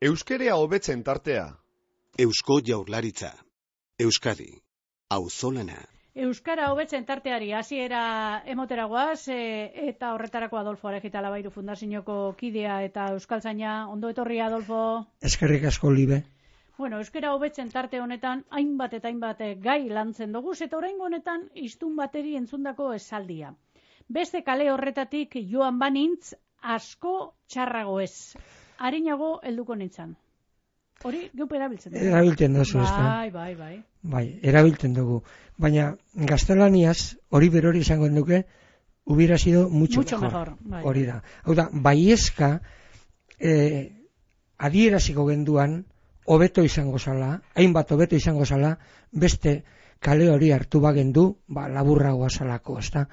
Euskerea hobetzen tartea. Eusko Jaurlaritza. Euskadi. Auzolana. Euskara hobetzen tarteari hasiera emoteragoaz eta horretarako Adolfo Arejita Labairu Fundazioko kidea eta euskaltzaina. Ondo etorria, Adolfo. Eskerrik asko, Libe. Bueno, euskara hobetzen tarte honetan hainbat eta hainbat gai lantzen dugu eta oraingo honetan hiztun bateri entzundako esaldia. Beste kale horretatik joan banintz asko txarrago ez. Arinago helduko nintzan. Hori geupe erabiltzen dugu. Erabiltzen duzu, ez da? Bai. Bai, erabiltzen dugu. Baina gaztelaniaz hori berori izango duke, hubiera sido mucho mejor. Bai. Hori da. Hau da, baiezka adieraziko genduan hobeto izango zala, hainbat hobeto izango zala, beste kale hori hartu bagendu, laburragoa zalako, ez da?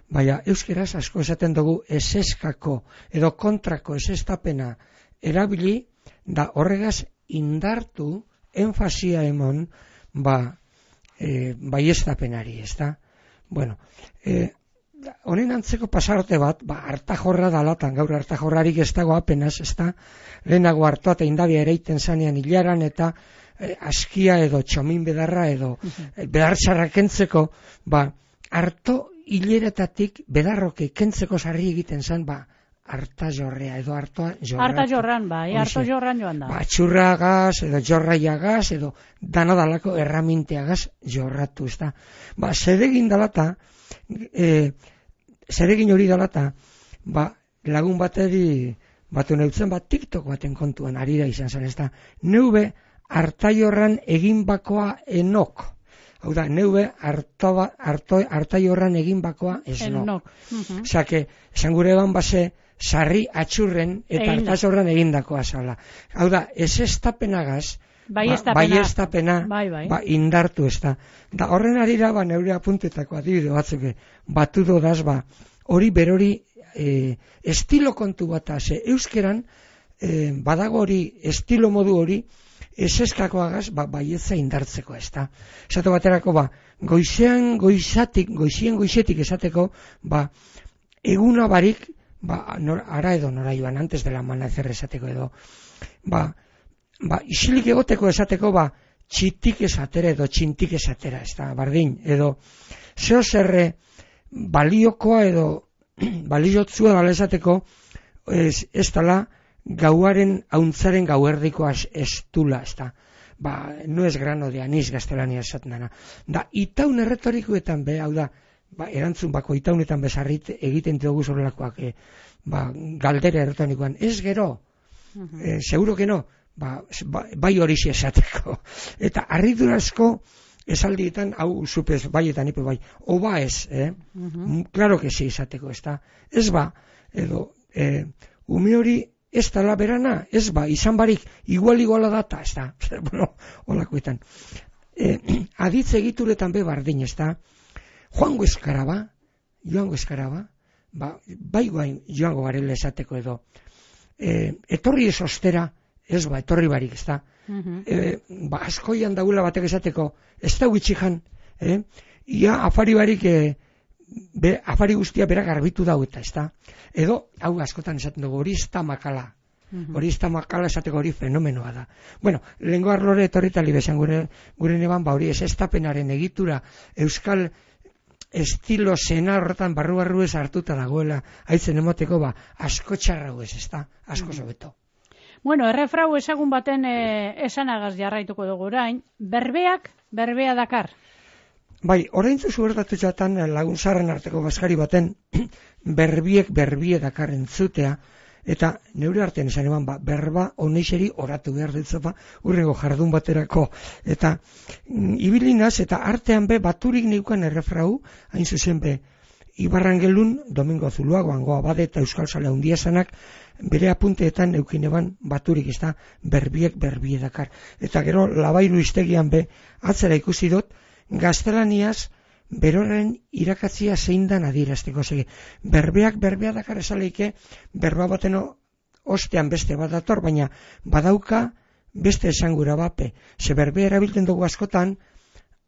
Baina euskeraz asko esaten dugu eseskako edo kontrako esestapena erabili, da horregaz indartu, enfasia emon, baiestapenari, ez da? Bueno, honen antzeko pasarte bat, hartajorra dalatan, gaur hartajorrarik ez dago apenas, ez da? Lehenago hartua eta indabia ereiten zanean hilaran eta askia edo txomin bedarra edo bedartxarra kentzeko, harto hileretatik bedarroke kentzeko sarri egiten zen, harta jorrea edo hartoa jorra. Harta jorran, harto jorran joan da. Txurragaz edo jorraiagaz edo danadalako erraminteagaz jorratu, ez da. Zeregin dalata, zeregin hori dalata, lagun bateri batu neutzen, TikTok baten kontuan ari da izan zen, ez da. Neube harta jorran egin bakoa enok. Hau da, neube harta jorran egin bakoa esnok. Zake, esan gure ban base, sarri atxurren eta hartazorran egindakoa zala. Hau da, ez estapenagaz, baiestapena indartu ez da. Da horren arira, neure apuntetako adibide batzuk batu dodaz, hori berori estilo kontu bat, ze euskeran badago hori, estilo modu hori, eseskakoagaz, baietza indartzeko ez da. Esate baterako, goizien goizetik esateko, eguna barik, ara edo nora joan, antes de la amanecer esateko edo, isilik egoteko esateko, txitik esatera edo txintik esatera, ez da, bardin, edo, zeo zerre baliokoa edo baliotzua dala esateko, ez dala, gauaren hauntzaren gauerdikoa estula, ez da. No es grano de anís gaztelania esaten dana. Da, itaun erretorikoetan hau da, erantzun bako itaunetan bezarrit egiten dugu zorrelakoak, galdera erretorikoan, ez gero, seguro que no, bai hori esateko. Eta harridurazko esaldietan, hau zupez, baietan ipe bai, oba ez, claro que sí esateko, ez da. Ez edo, ume hori, ez dala berana, ez izan barik, iguala data, ez da, holakoetan. Aditz egituretan bardin, ez da, joango eskaraba, bai guain joango garela esateko edo, etorri ez ostera, ez etorri barik, ez da, askoian daula batek esateko, ez da huitxijan, ia afari barik, afari guztia berak garbitu daueta, ez da. Edo, hau askotan esaten dugu, hori ez da makala. Hori ez da makala esateko hori fenomenoa da. Bueno, lehengo arlore etorritali bezan gure neban, hori ez estapenaren egitura euskal estilo zena horretan barru ez hartuta dagoela, haitzen emoteko asko txarrago ez da, asko sobeto. Bueno, errefrau ezagun baten esanagaz jarraituko dugu orain, berbea dakar. Bai, oraintzu zubertatu jatan laguntzarren arteko bazkari baten berbie dakar entzutea, eta neure artean esan eban, berba honeixeri oratu behar ditzopa urrengo jardun baterako. Eta ibilinaz eta artean baturik neukan errefrau, hain zuzen Ibarrangelun, Domingo Zuluagoan Abade eta Euskal Sale Handia zanak, bere apunteetan eukin eban baturik ez da berbie dakar. Eta gero Labairu iztegian atzera ikusi dut, gaztelaniaz beroren irakatzia zein dan adierazteko segi. Berbea dakar esaleike, berba bateno ostean beste bat dator, baina badauka beste esangura bape. Ze berbea erabiltzen dugu askotan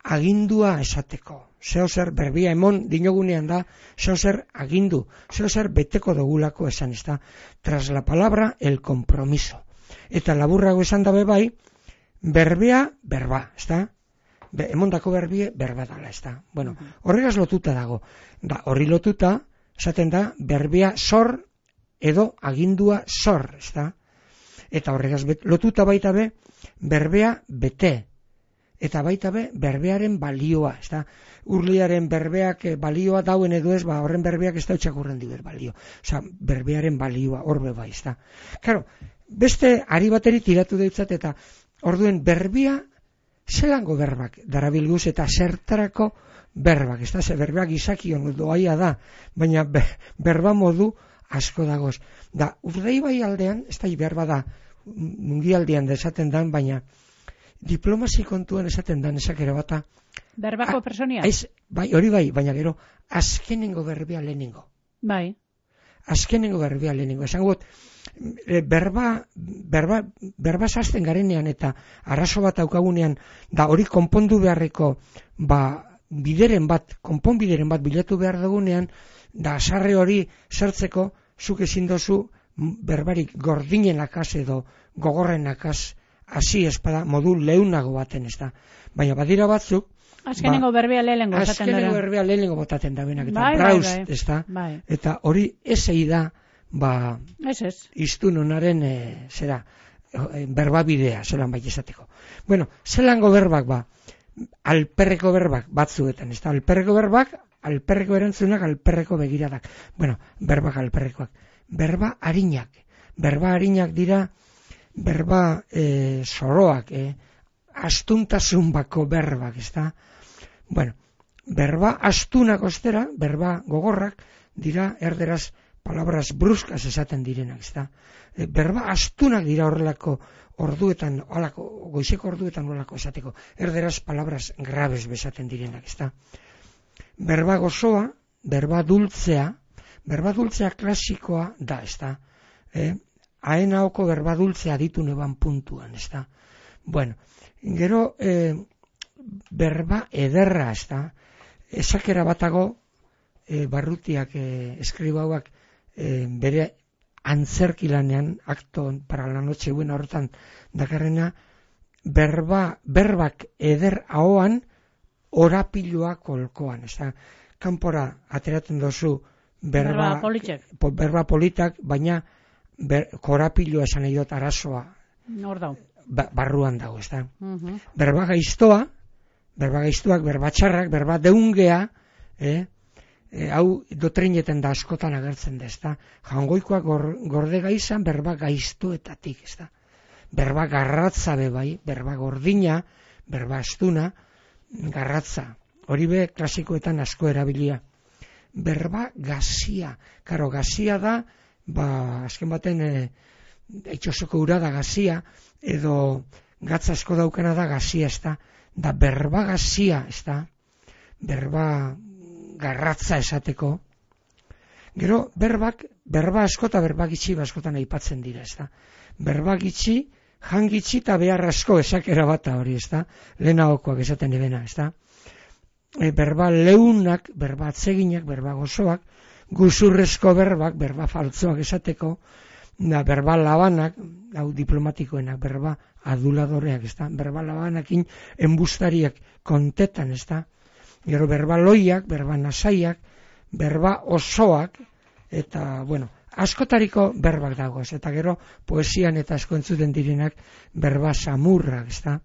agindua esateko. zeo zer berbia emon dinogunean da, zeo zer agindu, zeo zer beteko dogulako esan, ez da, tras la palabra el compromiso. Eta laburrago esan dabe bai, berbea, berba, ez da, emondako berbie, berba dala, ez da. Bueno, horregaz lotuta dago, da, horri lotuta, esaten da, berbea zor edo agindua zor, ez da. Eta horregaz lotuta baita be, berbea bete, eta baita be, berbearen balioa, ez da. Urliaren berbeak balioa dauen edo ez, horren berbeak ez da utxakurren dibet balio. Osa, berbearen balioa, horbe bai, ez da. Claro, beste ari bateri tiratu deutzat, eta orduen berbia, zelango berbak darabilguz, eta zertarako berbak, ez da, ze berbak izakion doaia da, baina berba modu asko dagoz. Da, urdei bai aldean, ez da, berba da, mundialdean esaten dan, baina diplomasi kontuan esaten dan esakera bata. Berbako personia? Bai, hori bai, baina gero, azkenengo berbea lehenengo. Bai. Azkenengo berbea lehenengo. Esan gut, berba zazten garenean eta arraso bat aukagunean, da hori konpondu beharreko, bideren bat, konponbideren bat bilatu behar dugunean, da sarre hori zertzeko, zuk ezin dozu berbarik gordinenakaz edo gogorrenakaz hasi espada modu leunago baten, ez da. Baina badira batzuk, azkenengo berbea lehenengo botaten dara. Azkenengo berbea lehenengo botaten da benak, eta brauz, ez da. Eta hori esei da, iztun honaren, berbabidea, zelan bai esateko. Bueno, zelango berbak, alperreko berbak batzuetan, ez da. Alperreko berbak, alperreko erantzunak, alperreko begiradak. Bueno, berbak alperrekoak. Berba harinak dira, berba zoroak, astuntasun bako berbak, ez da. Bueno, berba astunak ostera, berba gogorrak, dira erderaz palabras bruskas esaten direnak, ez da. Berba astunak dira horrelako orduetan, goizeko orduetan horrelako esateko, erderaz palabras graves besaten direnak, ez da. Berba gozoa, berba dultzea klasikoa da, ez da. Haenaoko berba dultzea ditu neban puntuan, ez da. Bueno, gero berba ederra, ez da. Esakera batago, Barrutiak, eskribauak, bere antzerkilanean, akton para la noche buena horretan dakarrena, berbak eder ahoan, orapiloa kolkoan, ez da. Kanpora ateratzen dozu berba politak, baina korapiloa esan nahi dut arazoa barruan dago, ez da. Berba gaiztoak, berba txarrak, berba deungea, hau dotrinetan da askotan agertzen da, ez da. Jangoikoak gorde gaizan berba gaiztoetatik, ez da. Berba garratza bebai, berba gordina, berba astuna, garratza. Hori be klasikoetan asko erabilia. Berba gazia. Karo, gazia da, azken baten eitxosoko ura da gazia, edo gatz asko daukana da gazia, ez da. Da berba gazia, ez da. Berba garratza esateko. Gero, berba asko eta berba gitxi askotan aipatzen dira, ez da. Berba gitxi, jangitxi eta behar asko esakera bata hori, ez da. Lehenagokoak esaten ebena, ez da. Berba leunak, berba atseginak, berba gozoak, guzurrezko berbak, berba faltzoak esateko, berba labanak, hau diplomatikoenak, berba aduladoreak, ez da, berba labanakin embustariak kontetan, ez da, gero berba loiak, berba nasaiak, berba osoak, eta, bueno, askotariko berbak dagoz, eta gero poesian eta asko entzuten direnak berba samurrak, ez da,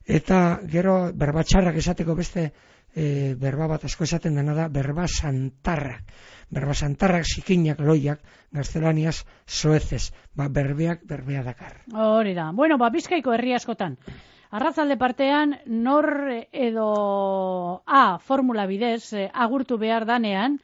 eta gero berba txarrak esateko beste berba bat asko esaten dena da berba santarrak. Berba santarrak, zikinak, loiak, gaztelaniaz, soezez. Berbeak dakar. Hori da. Bueno, Bizkaiko herri askotan. Arratzalde partean, nor edo formula bidez agurtu behar danean,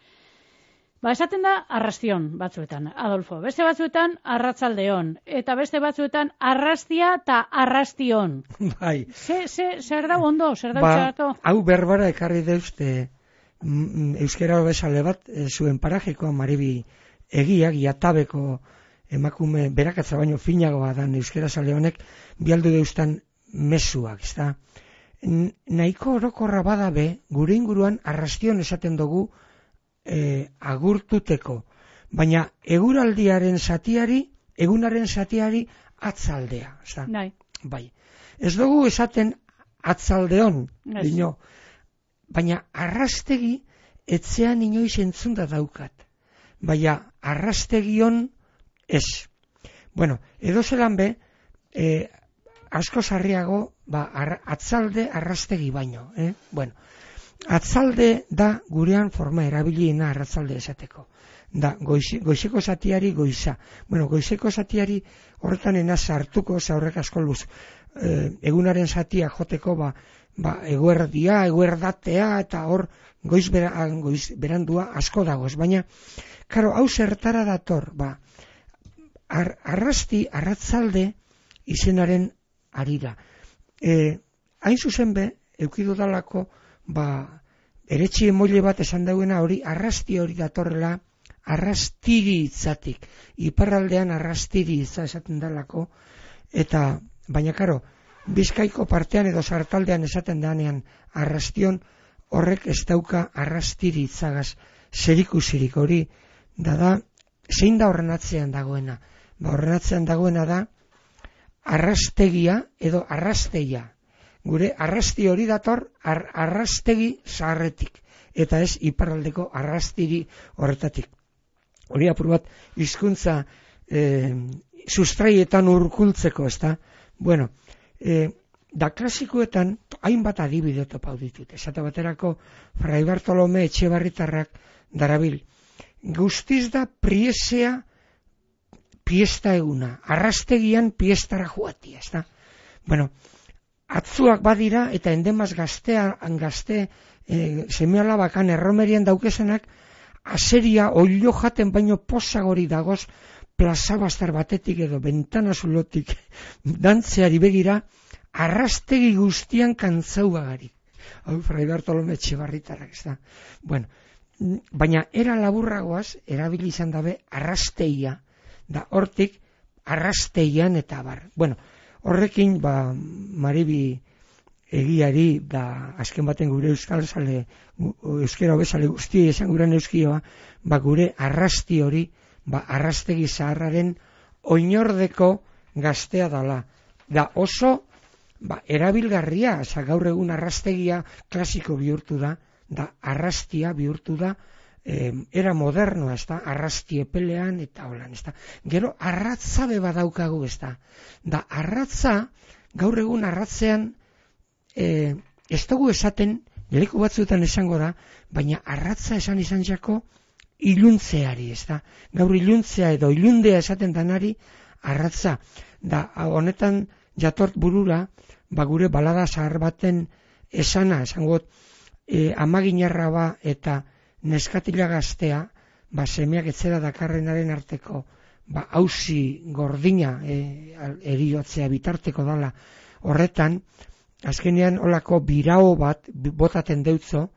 esaten da arrastion batzuetan, Adolfo. Beste batzuetan arratzaldeon. Eta beste batzuetan arrastia eta arrastion. Bai. Zer da ondo, zer da utxaratu? Hau berbara ekarri deuzte euskera bezale bat, zuen parajekoa Maribi egiak, jatabeko emakume berakatza baino finagoa dan euskera zale honek, bialdu deuztan mesuak, ez da? nahiko orokorra badabe, gure inguruan arrastion esaten dugu agurtuteko, baina egunaren zatiari atzaldea. Bai. Ez dugu esaten atzaldeon, dino, baina arrastegi etzean inoiz entzunda daukat, baina arrastegion ez. Bueno, edo zelan be, asko sarriago, atzalde arrastegi baino. Bueno, atzalde da gurean forma erabiliena arratzalde esateko. Da, goizeko zatiari goiza. Bueno, goizeko zatiari horretan enaz hartuko, horrek asko luz. Egunaren zatia joteko, eguerdia, eguerdatea, eta hor goiz berandua asko dagoz. Baina, karo, hau zertara dator, arratzalde izenaren arira. Hain zuzen be, eukidu dalako, eretxi emoile bat esan dauena hori, arrasti hori datorrela, arrastiri hitzatik. Iparraldean arrastiri hitza esaten dalako, eta, baina karo, Bizkaiko partean edo sartaldean esaten danean arrastion, horrek ez dauka arrastiri hitzagaz zerikusirik hori, da, zein da horren atzean dagoena? Horren atzean dagoena da, arrastegia edo arrasteia. Gure arrasti hori dator arrastegi zaharretik, eta ez iparraldeko arrastiri horretatik. Hori apur bat hizkuntza sustraietan urkultzeko, ez da? Bueno, da klasikoetan hainbat adibide topau ditut. Esate baterako Fray Bartolome Etxebarritarrak darabil. Guztiz da priesea piesta eguna, arrastegian piestara joatia, ez da? Bueno, atzuak badira eta endemaz gazte seme-alabakan erromerian daukesenak aseria oilo jaten baino posagori dagoz plazabastar batetik edo bentana zulotik dantzeari begira arrastegi guztian kantzau bagari. Hau Fray Bartolome Etxebarritarrak, ez da? Bueno, baina era laburragoaz erabili izan dabe arrasteia, da hortik arrasteian eta bar. Bueno, horrekin Maribi egiari, azken baten gure euskera bezale guzti esan guren euskioa, gure arrasti hori, arrastegi zaharraren oinordeko gaztea dala. Da oso erabilgarria, gaur egun arrastegia klasiko bihurtu da arrastia bihurtu da, era modernoa, ez da, arrasti epelean eta holan, ez da. Gero arratza beba daukagu, ez da. Da arratza, gaur egun arratzean, ez dugu esaten, leku batzuetan esango da, baina arratza esan izan jako iluntzeari, ez da. Gaur iluntzea edo ilundea esaten danari arratza. Da, honetan jatort burura, gure balada zahar baten esana, esangot, amaginarra eta neskatila gaztea, semeak etzera dakarrenaren arteko, hausi gordina eriotzea bitarteko dala. Horretan, azkenean olako birao bat botaten deutzo,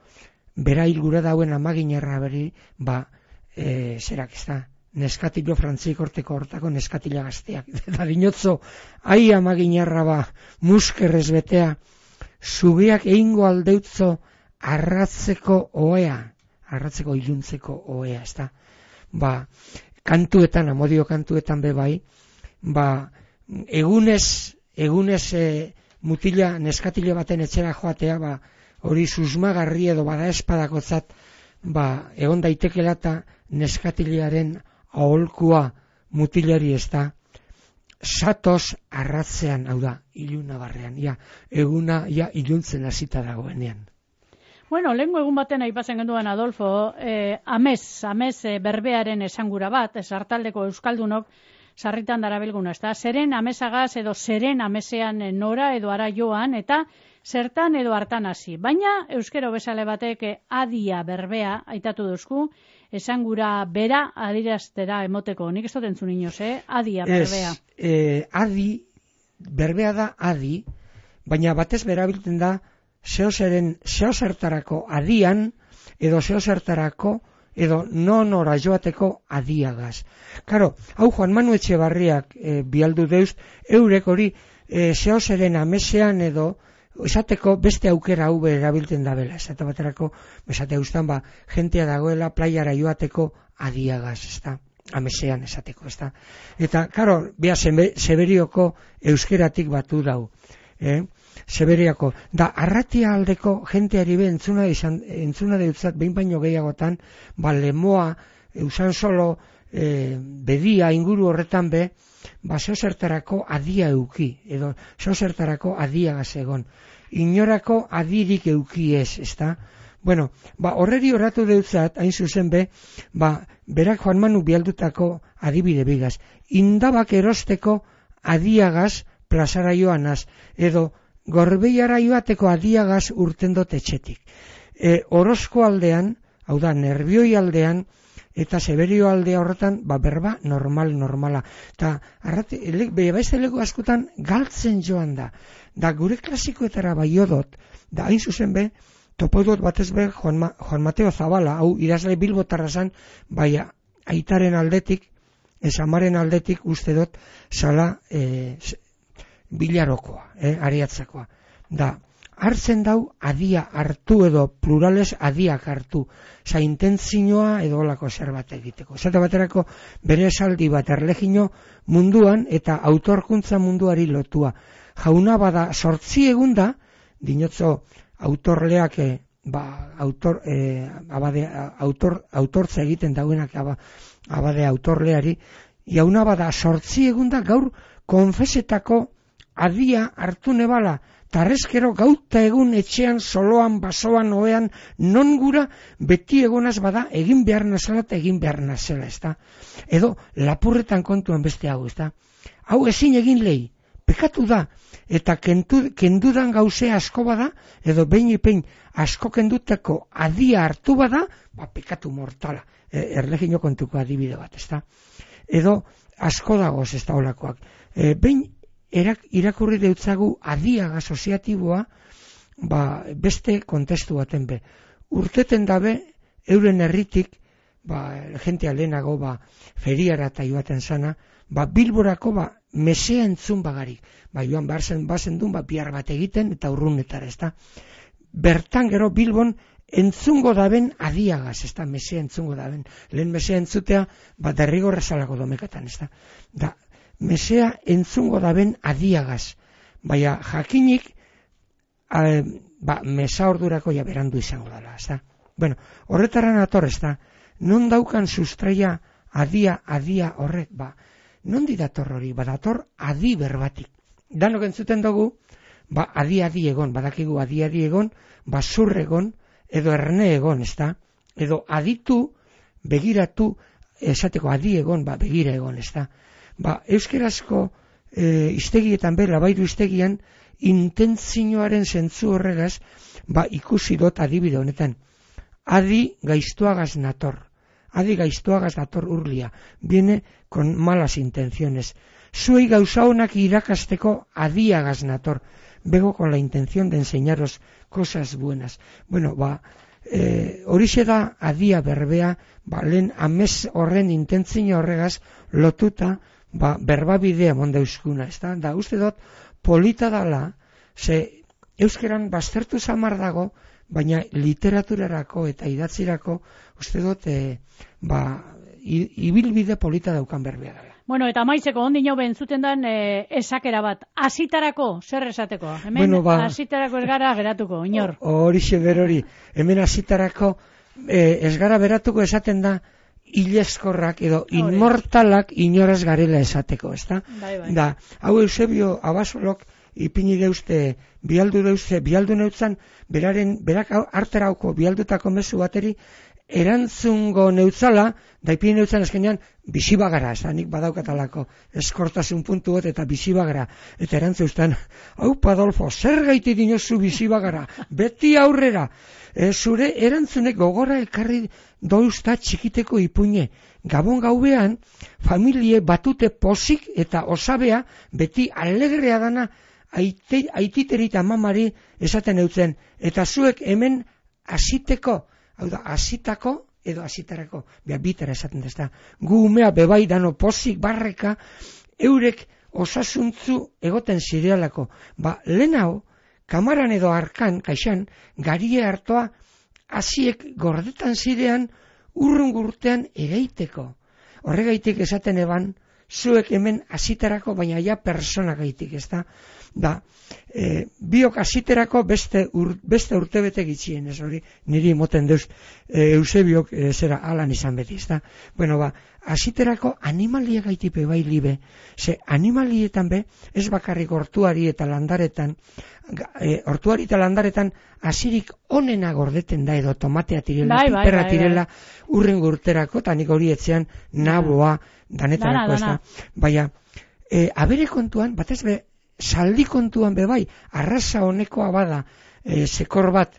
bera hilgura dauen amaginarra beri, zerak ez da, neskatilo frantzik horteko hortako neskatila gazteak. Eta dinotzo, ai amaginarra muskerrez betea, zubiak egingo aldeutzo arratzeko oea, arratzeko iluntzeko oea, ez da. Kantuetan, amodio kantuetan bebai, egunez mutila neskatile baten etxera joatea, hori susmagarri edo bada espadakotzat, egon daitekela eta neskatilearen aholkua mutilari, ez da. Satoz arratzean, hau da, iluna barrean, eguna iluntzen hasita dagoenean. Bueno, lehenko egun baten aipatzen genduan Adolfo, amez berbearen esangura bat, sartaldeko euskaldunok sarritan darabilguna, ez da, zeren amezagaz edo zeren amezean nora edo ara joan, eta zertan edo hartan hasi. Baina euskero bezale batek adia berbea aitatu duzku, esangura bera adiraztera emoteko. Nik ez dut entzun inoz, adia berbea. Adi, berbea da adi, baina batez berabilten da zeozertarako adian, edo zeozertarako, edo nonora joateko adiagaz. Karo, hau Juan Manu Etxebarriak bialdu deuz, eurek hori zeozeren amesean edo esateko beste aukera hau erabiltzen dabela, esate baterako, esate guztan, jentea dagoela playara joateko adiagaz, ezta? Amesean esateko, ezta? Eta, karo, bea Seberioko euskeratik batu dau, Seberiako, da arratia aldeko jenteari be entzuna deutzat behin baino gehiagotan, lemoa, eusan solo, bedia inguru horretan be, zertarako adia euki, edo zertarako adiagaz egon. Inorako adirik euki ez, ezta? Bueno, horreri horratu deutzat, hain zuzen be, berak Juan Manu bialdutako adibide bigaz. Indabak erosteko adiagaz plazara joanaz, edo Gorbeiara joateko adiagaz urten dut etxetik. Orozko aldean, hau da, Nerbioi aldean, eta Seberio aldea horretan, berba normala. Eta, beste lego askotan galtzen joan da. Da, gure klasikoetara baiodot, da, hain zuzen be, topodot batez be, Juan Mateo Zabala, hau idazle bilbotarra zan, aitaren aldetik, amaren aldetik uste dut, zala bilarokoa, ariatzakoa. Da, hartzen dau adia hartu edo plurales adiak hartu, intentzioa edo olako zerbait egiteko. Zate baterako bere esaldi bat erlegino munduan eta autorkuntza munduari lotua. Jauna bada 8 egun da, dinotzo autorleak autortza egiten dauenak abade autorleari, jauna bada 8 egun da gaur konfesetako adia hartu nebala, tarrezkero gauta egun etxean, soloan, basoan, oean, non gura beti egonaz bada egin behar nazela eta egin behar nazela, ezta? Edo lapurretan kontuan beste hau, ezta? Hau ezin egin lehi, pekatu da, eta kendudan gauzea asko bada, edo behin asko kenduteko adia hartu bada, pekatu mortala, erlegino kontuko adibide bat, ezta? Edo asko dagoz, ez da olakoak. Behin irakurri deutzagu adiaga soziatiboa, beste kontestu baten be. Urteten dabe, euren herritik, jentea lehenago, feriara eta joaten zana, Bilborako, mesea entzun bagarik. Joan bazen duen, bihar bat egiten, eta urrunetara, ez da. Bertan gero Bilbon, entzungo daben adiagaz, ez da, mesea entzungo daben. Lehen mesea entzutea, derrigorra zalako domekatan, ez da. Da, mesea entzungo daben adiagaz. Jakinik, mesa ordurako berandu izango dela, ez da. Bueno, horretaran ator, ez da, non daukan sustraia adia horrek, non didator hori, dator adi berbatik. Danok entzuten dugu, adi egon, badakigu adi egon, zur egon, edo erne egon, ez da, edo aditu, begiratu, esateko adi egon, begira egon, ez da. Euskerazko iztegietan bera, bairu iztegian, intentzioaren zentzu horregaz, ikusi dut adibide honetan. Adi gaiztuagaz nator. Adi gaiztuagaz dator urlia. Viene con malas intenciones. Zuei gauza honak irakasteko adiagaz nator. Vengo con la intención de enseñaros cosas buenas. Bueno, horixe da adia berbea, lehen amez horren intentzio horregaz lotuta, berbabidea monda euskuna. Da, uste dut, polita dala, ze euskeran baztertu zamar dago, baina literaturarako eta idatzirako, uste dut, ibilbide polita daukan berbea dela. Bueno, eta maizeko ondino bentzuten dan esakera bat. Asitarako, zer esateko? Hemen asitarako ez gara geratuko, inor. Horixe berori. Hemen asitarako ez gara beratuko esaten da hilezkorrak edo inmortalak inoraz garela esateko, ezta? Da, hau Eusebio Abasolok ipini deuzte, bialdu neutzan, berak harterauko bialdutako mezu bateri, erantzungo neutzala, da ipini neutzan eskenean, bizibagara, ez da, nik badaukatalako eskortasun puntu bat eta bizibagara, eta erantzeuztan, hau Adolfo, zer gaiti dinozu bizibagara, beti aurrera, zure erantzunek gogora ekarri douzta txikiteko ipuine, gabon gaubean, familie batute pozik eta osabea, beti alegrea dana, aititeri eta mamari esaten eutzen, eta zuek hemen asiteko, hau da, asitako edo asitarako, bitera esaten dezta, gu umea bebai dano pozik barreka, eurek osasuntzu egoten zirealako. Lehen hau, kamaran edo arkan, kaixan, garie hartoa, hasiek gordetan zirean, urrun-gurtean egeiteko. Horregaitik esaten eban, zuek hemen hasiterako, baina ja persona gaitik, ez da, biok hasiterako beste urtebete gitxien, ez hori, niri moten deuz, Eusebiok zera alan izan beti, ez da. Bueno, hasiterako animalia gaitipe bai libe, ze animalietan be, ez bakarrik hortuari eta landaretan hasirik onena gordeten da, edo tomatea tirela, piperra tirela, urren gurterako, eta nik hori etzean naboa, danetarako, ez da. Baina, abere kontuan, batez be, saldi kontuan be bai, arraza honekoa bada, sekor bat,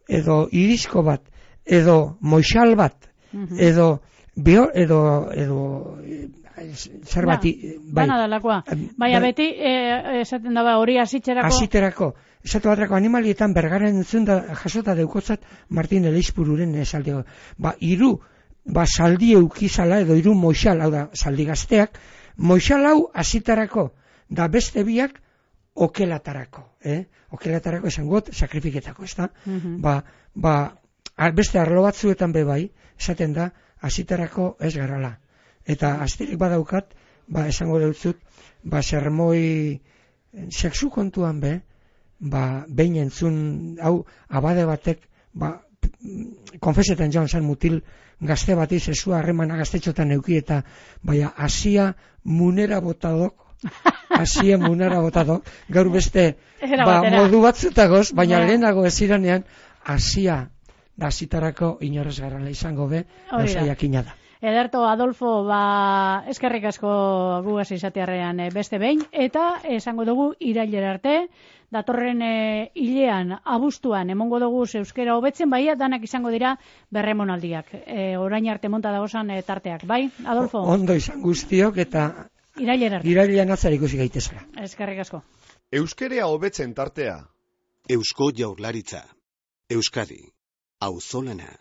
edo irisko bat, edo moixal bat, edo zer bati, bai. Bana dalakoa. Baina beti, esaten daba hori hasiterako. Esatu batrako animalietan bergaren entzun da jasota deukotzat Martin Elizpururen esaldio. Hiru saldi eukizala edo hiru moixal, hau da, saldi gazteak, moixal hau hasitarako, da beste biak okelatarako. Okelatarako esan got, sakrifiketako, ez da? Beste arlo batzuetan bebai, esaten da, hasitarako ez garala. Eta astirik badaukat, esango deutzut, sermoi sexu kontuan be, behin entzun, hau, abade batek, konfesetan joan zen mutil gazte bati zesua harremana gaztetxotan euki eta asia munera botadok, gaur beste modu batzutagoz, baina lehenago ez iranean, asia da zitarako inorez garala izango be, osaiakina da. Ederto, Adolfo, eskerrik asko gugaz izatearrean beste behin, eta esango dugu irailera arte, datorren hilean, abuztuan, emongo dugu euskera hobetzen, danak izango dira berremonaldiak. Orain arte monta dagozan tarteak, bai, Adolfo? Ondo izan guztiok, eta irailean atzar ikusi gaitezela. Eskerrik asko. Euskera hobetzen tartea. Eusko Jaurlaritza. Euskadi. Auzolana.